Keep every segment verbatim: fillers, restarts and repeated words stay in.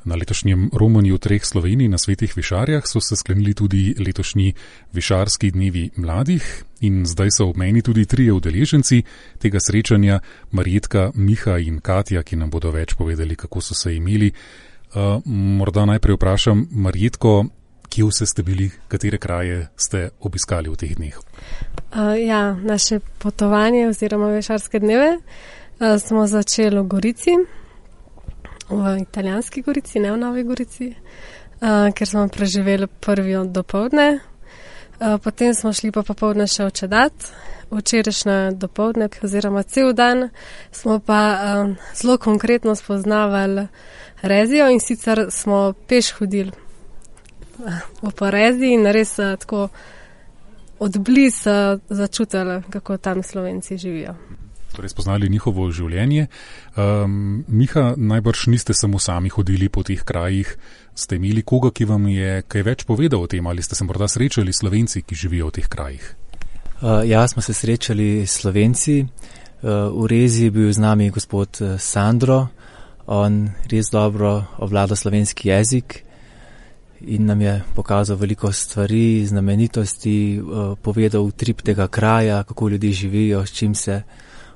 Na letošnjem romanju treh Slovenij na Svetih Višarjah so se sklenili tudi letošnji Višarski dnevi mladih in zdaj so ob meni tudi trije udeleženci tega srečanja, Marjetka, Miha in Katja, ki nam bodo več povedali, kako so se imeli. Uh, morda najprej vprašam Marjetko, kje vse ste bili, katere kraje ste obiskali v teh dneh? Uh, ja, naše potovanje oziroma Višarske dneve uh, smo začeli v Gorici, v italijanski Gorici, ne v Novi Gorici, uh, ker smo preživeli prvi dopoldne. Uh, potem smo šli pa popoldne še v Čedat, včerajšnje dopoldne oziroma cel dan smo pa uh, zelo konkretno spoznavali Rezijo in sicer smo peš hodili v Porezi in res uh, tako odbliz uh, začutili, kako tam Slovenci živijo. Torej spoznali njihovo življenje. Um, Miha, najbrž niste samo sami hodili po teh krajih, ste imeli koga, ki vam je kaj več povedal o tem, ali ste se morda srečali Slovenci, ki živijo v teh krajih? Uh, ja, smo se srečali Slovenci. Uh, v Rezi je bil z nami gospod Sandro, on res dobro obvlada slovenski jezik in nam je pokazal veliko stvari, znamenitosti, uh, povedal utrip tega kraja, kako ljudje živijo, s čim se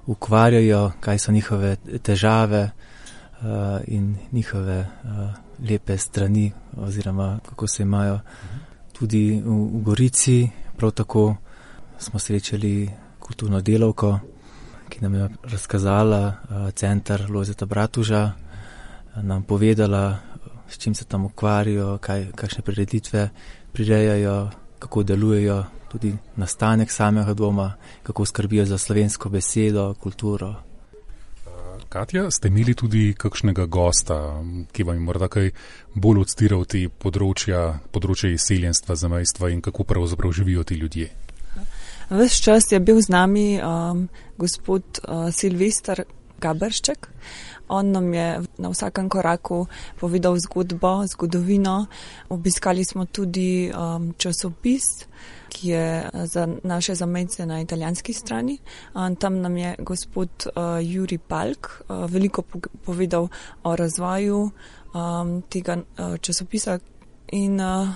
ukvarjajo, kaj so njihove težave uh, in njihove uh, lepe strani oziroma kako se imajo. Tudi v, v Gorici prav tako smo srečali kulturno delavko, ki nam je razkazala uh, center Lojzeta Bratuža, nam povedala, s čim se tam ukvarjajo, kaj, kakšne prireditve prirejajo, kako delujejo, tudi nastanek samega doma, kako skrbijo za slovensko besedo, kulturo. Katja, ste imeli tudi kakšnega gosta, ki vam je morda kaj bolj odstiral te področja, področja izseljenstva, zamejstva in kako pravzaprav živijo ti ljudje? Ves čas je bil z nami um, gospod uh, Silvester Gaberšček. On nam je na vsakem koraku povedal zgodbo, zgodovino. Obiskali smo tudi um, časopis, ki je za naše zamejce na italijanski strani. Um, tam nam je gospod uh, Juri Palk uh, veliko povedal o razvoju um, tega uh, časopisa in uh,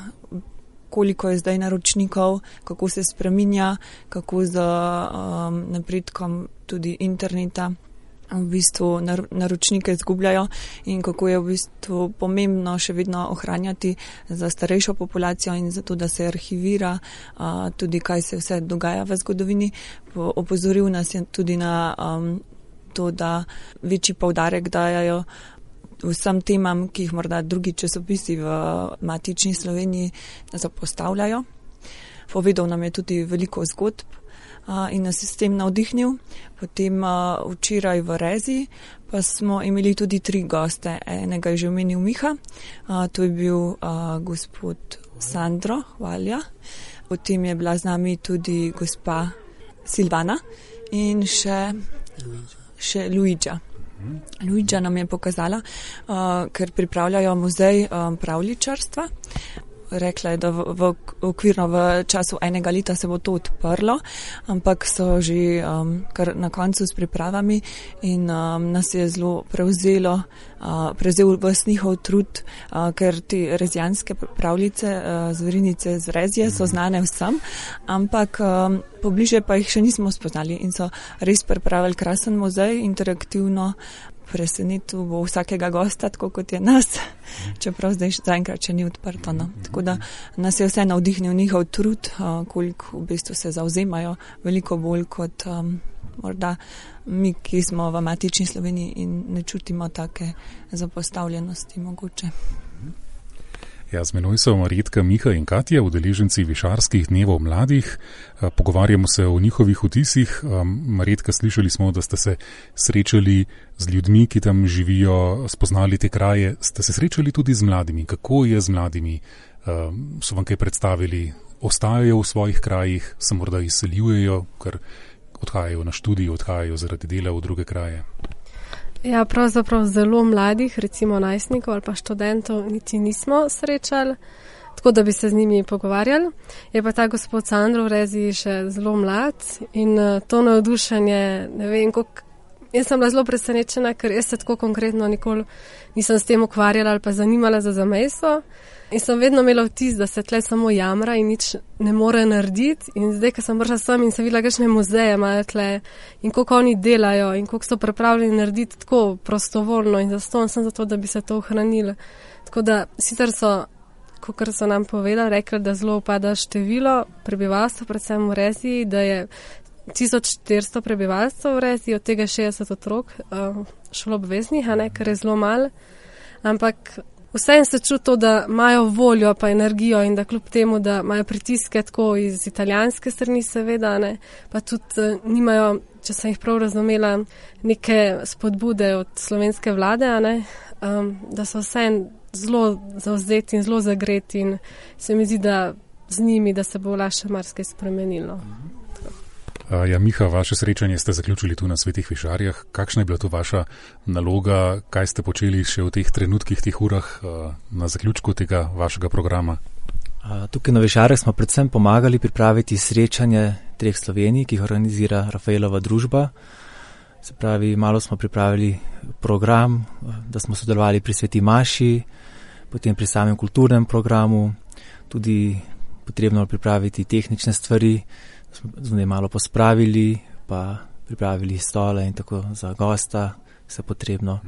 koliko je zdaj naročnikov, kako se spreminja, kako z um, napredkom tudi interneta v bistvu naročnike izgubljajo in kako je v bistvu pomembno še vedno ohranjati za starejšo populacijo in zato, da se arhivira uh, tudi, kaj se vse dogaja v zgodovini. Opozoril nas je tudi na um, to, da večji poudarek dajajo vsem temam, ki jih morda drugi časopisi v matični Sloveniji zapostavljajo. Povedal nam je tudi veliko zgodb in nas je s tem navdihnil. Potem uh, včeraj v Rezi pa smo imeli tudi tri goste. Enega je že omenil Miha, uh, to je bil uh, gospod Sandro Hvalja. Potem je bila z nami tudi gospa Silvana in še, še Luigia. Luigia nam je pokazala, uh, ker pripravljajo muzej um, pravljičarstva. Rekla je, da v, v okvirno v času enega leta se bo to odprlo, ampak so že um, kar na koncu s pripravami in um, nas je zelo prevzelo, uh, prevzel vas njihov trud, uh, ker te rezijanske pravljice, uh, zverinice z Rezije so znane vsem, ampak um, pobliže pa jih še nismo spoznali in so res pripravili krasen muzej, interaktivno. Presenetil bo vsakega gosta, tako kot je nas, čeprav zdaj zaenkrat še ni odprto. No. Tako da nas je vse navdihnil njihov trud, uh, koliko v bistvu se zauzemajo, veliko bolj kot um, morda mi, ki smo v matični Sloveniji in ne čutimo take zapostavljenosti mogoče. Ja, z menoj so Marjetka, Miha in Katja, udeleženci Višarskih dnevov mladih. Pogovarjamo se o njihovih vtisih. Marjetka, slišali smo, da ste se srečali z ljudmi, ki tam živijo, spoznali te kraje. Ste se srečali tudi z mladimi? Kako je z mladimi? So vam kaj predstavili? Ostajajo v svojih krajih? Se morda izseljujejo, ker odhajajo na študij, odhajajo zaradi dela v druge kraje? Ja, pravzaprav zelo mladih, recimo najstnikov ali pa študentov, niti nismo srečali, tako da bi se z njimi pogovarjali. Je pa ta gospod Sandro v Rezi še zelo mlad in to navdušenje, ne vem, koliko jaz sem bila zelo presenečena, ker jaz se tako konkretno nikoli nisem s tem ukvarjala ali pa zanimala za zamejstvo. In sem vedno imela vtis, da se tle samo jamra in nič ne more narediti. In zdaj, ko sem prišla sem in sem videla, kakšne muzeje imajo tle in koliko oni delajo in koliko so pripravljeni narediti tako prostovoljno in zastonj sem zato, da bi se to ohranilo. Tako da sicer so, kakor so nam povedali, rekli, da zelo upada število prebivalstva, predvsem v Reziji, da je tisoč štiristo prebivalstva v Reziji, od tega šestdeset otrok uh, šoloobveznih, a ne, kar je zelo malo. Ampak vseeno se čuti to, da imajo voljo pa energijo in da kljub temu, da imajo pritiske tako iz italijanske strani seveda, ne, pa tudi uh, nimajo, če sem jih prav razumela, neke spodbude od slovenske vlade, a ne, um, da so vseeno zelo zavzeti in zelo zagreti in se mi zdi, da z njimi, da se bo lahko marsikaj spremenilo. Ja, Miha, vaše srečanje ste zaključili tu na Svetih Višarjah. Kakšna je bila tu vaša naloga? Kaj ste počeli še v teh trenutkih, teh urah na zaključku tega vašega programa? Tukaj na Višarjah smo predvsem pomagali pripraviti srečanje treh Slovenij, ki jih organizira Rafaelova družba. Se pravi, malo smo pripravili program, da smo sodelovali pri Sveti Maši, potem pri samem kulturnem programu, tudi potrebno pripraviti tehnične stvari, smo zunaj malo pospravili, pa pripravili stole in tako za gosta, vse potrebno.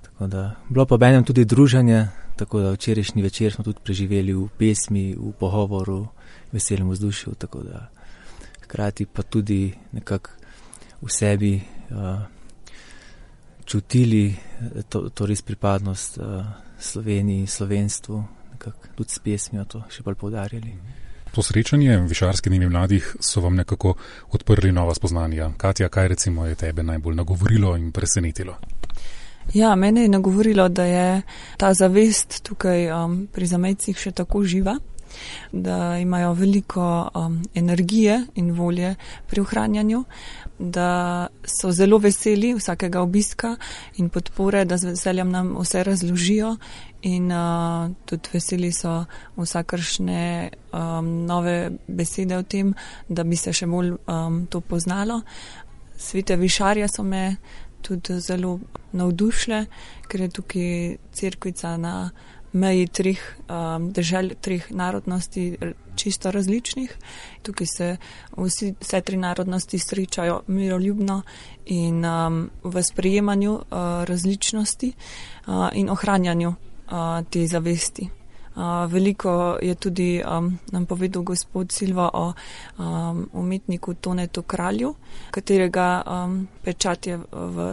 Tako da, bilo pa benem tudi druženje, tako da včerajšnji večer smo tudi preživeli v pesmi, v pogovoru, v veselem vzdušju, tako da hkrati pa tudi nekako v sebi uh, čutili to, to res pripadnost uh, Sloveniji, slovenstvu, nekako tudi s pesmijo to še bolj poudarjali. To srečanje Višarski dnevi mladih so vam nekako odprli nova spoznanja. Katja, kaj recimo je tebe najbolj nagovorilo in presenetilo? Ja, mene je nagovorilo, da je ta zavest tukaj um, pri zamejcih še tako živa, da imajo veliko um, energije in volje pri ohranjanju, da so zelo veseli vsakega obiska in podpore, da z veseljem nam vse razložijo in uh, tudi veseli so vsakršne um, nove besede o tem, da bi se še bolj um, to poznalo. Svete Višarje so me tudi zelo navdušile, ker je tukaj cerkvica na meji treh um, držav, treh narodnosti čisto različnih. Tukaj se vsi, vse tri narodnosti srečajo miroljubno in um, v sprejemanju uh, različnosti uh, in ohranjanju uh, te zavesti. Uh, veliko je tudi um, nam povedal gospod Silva o um, umetniku Tonetu Kralju, katerega um, pečat je v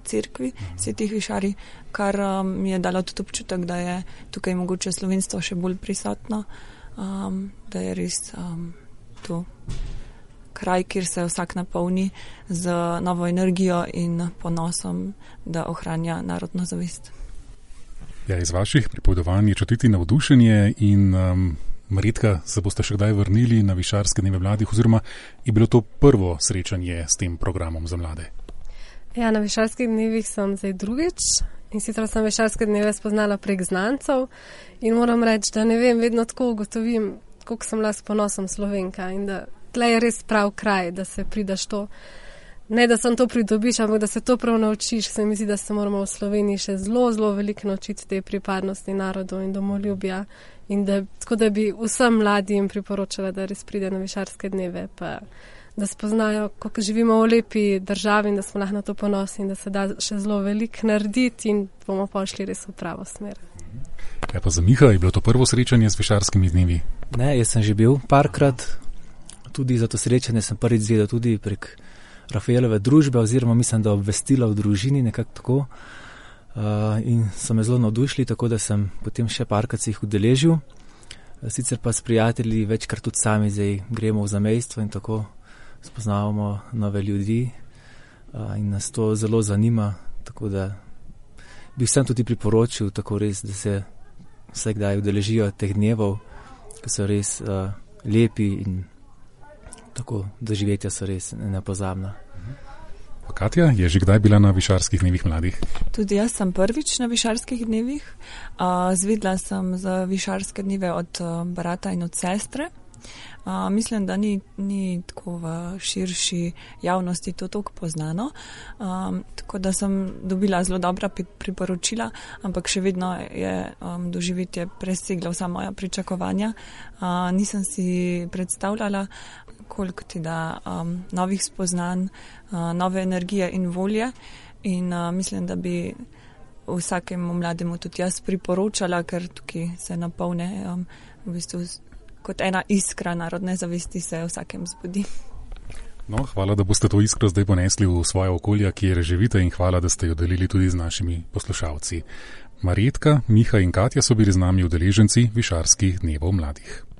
cerkvi Svetih Višarij, kar um, mi je dalo tudi občutek, da je tukaj mogoče slovenstvo še bolj prisotno, um, da je res um, to kraj, kjer se vsak napolni z novo energijo in ponosom, da ohranja narodno zavest. Ja, iz vaših pripovedovanj je čutiti navdušenje in um, Marjetka, se boste še kdaj vrnili na Višarske dneve mladih oziroma je bilo to prvo srečanje s tem programom za mlade? Ja, na Višarskih dnevih sem zdaj drugič in sicer sem Višarske dneve spoznala prek znancev in moram reči, da ne vem, vedno tako ugotovim, koliko sem bila s ponosom Slovenka in da tle je res prav kraj, da se pridaš to. Ne, da sem to pridobiš, ampak da se to prav naučiš. Se mi zdi, da se moramo v Sloveniji še zelo, zelo veliko naučiti te pripadnosti narodov in domoljubja in da, tako da bi vsem mladim priporočala, da res pride na Višarske dneve, pa da spoznajo, kako živimo v lepi državi in da smo lahko na to ponosni in da se da še zelo veliko narediti in bomo pošli res v pravo smer. Ja, pa za Miha, je bilo to prvo srečanje s Višarskimi dnevi? Ne, jaz sem že bil parkrat, tudi za to srečanje sem prvič zvedel tudi prek Rafaelove družbe oziroma mislim, da obvestila v družini nekako tako uh, in so me zelo navdušili, tako da sem potem še parkrat se jih udeležil. Sicer pa s prijatelji večkrat tudi sami zdaj gremo v zamejstvo in tako spoznavamo nove ljudi uh, in nas to zelo zanima, tako da bi vsem tudi priporočil tako res, da se vse kdaj udeležijo teh dnevov, ki so res uh, lepi in tako doživetja so res nepozabna. Katja, je že kdaj bila na Višarskih dnevih mladih? Tudi jaz sem prvič na Višarskih dnevih. Uh, zvedla sem za Višarske dneve od uh, brata in od sestre. Uh, mislim, da ni, ni tako v širši javnosti to toliko poznano, um, tako da sem dobila zelo dobra priporočila, ampak še vedno je um, doživetje preseglo vsa moja pričakovanja. Uh, nisem si predstavljala, koliko ti da um, novih spoznanj, uh, nove energije in volje in uh, mislim, da bi vsakemu mlademu tudi jaz priporočala, ker tukaj se napolne um, v bistvu kot ena iskra narodne zavesti se vsakem zbudi. No, hvala, da boste to iskro zdaj ponesli v svoje okolja, kjer živite in hvala, da ste jo delili tudi z našimi poslušalci. Marjetka, Miha in Katja so bili z nami udeleženci Višarskih dnevov mladih.